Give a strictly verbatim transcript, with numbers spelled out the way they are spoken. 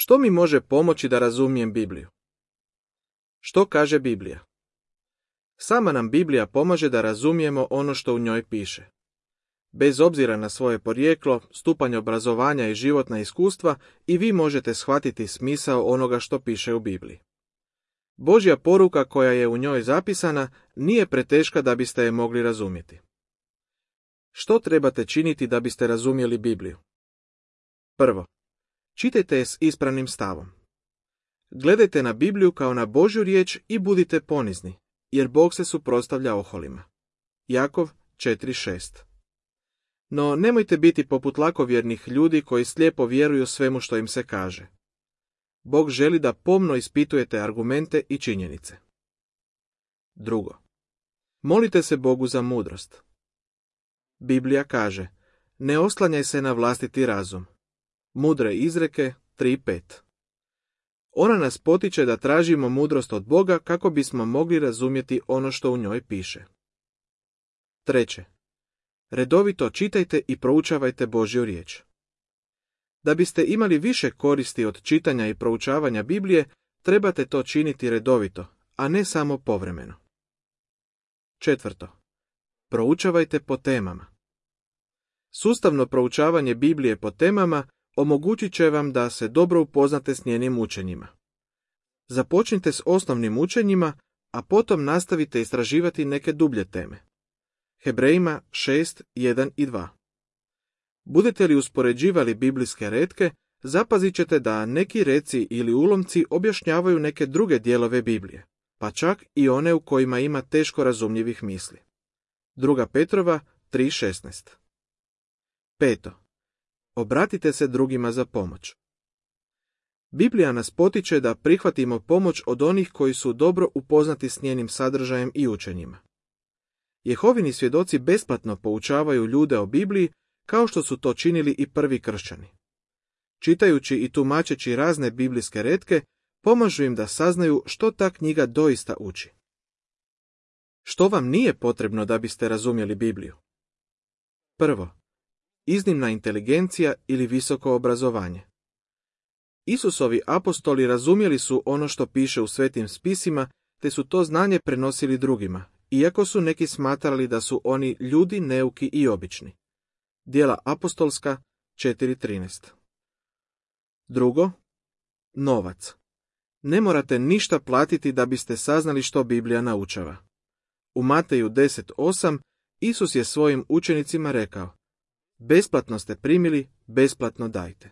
Što mi može pomoći da razumijem Bibliju? Što kaže Biblija? Sama nam Biblija pomaže da razumijemo ono što u njoj piše. Bez obzira na svoje porijeklo, stupanj obrazovanja i životna iskustva, i vi možete shvatiti smisao onoga što piše u Bibliji. Božja poruka koja je u njoj zapisana nije preteška da biste je mogli razumjeti. Što trebate činiti da biste razumjeli Bibliju? Prvo, čitajte je s ispravnim stavom. Gledajte na Bibliju kao na Božju riječ i budite ponizni, jer Bog se suprotstavlja oholima. Jakov četiri šest. No nemojte biti poput lakovjernih ljudi koji slijepo vjeruju svemu što im se kaže. Bog želi da pomno ispitujete argumente i činjenice. Drugo, molite se Bogu za mudrost. Biblija kaže, ne oslanjaj se na vlastiti razum. Mudre izreke tri pet. Ona nas potiče da tražimo mudrost od Boga kako bismo mogli razumjeti ono što u njoj piše. Treće, redovito čitajte i proučavajte Božju riječ. Da biste imali više koristi od čitanja i proučavanja Biblije, trebate to činiti redovito, a ne samo povremeno. Četvrto, proučavajte po temama. Sustavno proučavanje Biblije po temama omogućit će vam da se dobro upoznate s njenim učenjima. Započnite s osnovnim učenjima, a potom nastavite istraživati neke dublje teme. Hebrejima šest jedan i dva. Budete li uspoređivali biblijske retke, zapazit ćete da neki reci ili ulomci objašnjavaju neke druge dijelove Biblije, pa čak i one u kojima ima teško razumljivih misli. Druga Petrova tri šesnaest. Peto. Obratite se drugima za pomoć. Biblija nas potiče da prihvatimo pomoć od onih koji su dobro upoznati s njenim sadržajem i učenjima. Jehovini svjedoci besplatno poučavaju ljude o Bibliji kao što su to činili i prvi kršćani. Čitajući i tumačeći razne biblijske retke, pomažu im da saznaju što ta knjiga doista uči. Što vam nije potrebno da biste razumjeli Bibliju? Prvo, iznimna inteligencija ili visoko obrazovanje. Isusovi apostoli razumjeli su ono što piše u svetim spisima, te su to znanje prenosili drugima, iako su neki smatrali da su oni ljudi neuki i obični. Djela apostolska četiri trinaest. Drugo, novac. Ne morate ništa platiti da biste saznali što Biblija naučava. U Mateju deset osam Isus je svojim učenicima rekao, besplatno ste primili, besplatno dajte.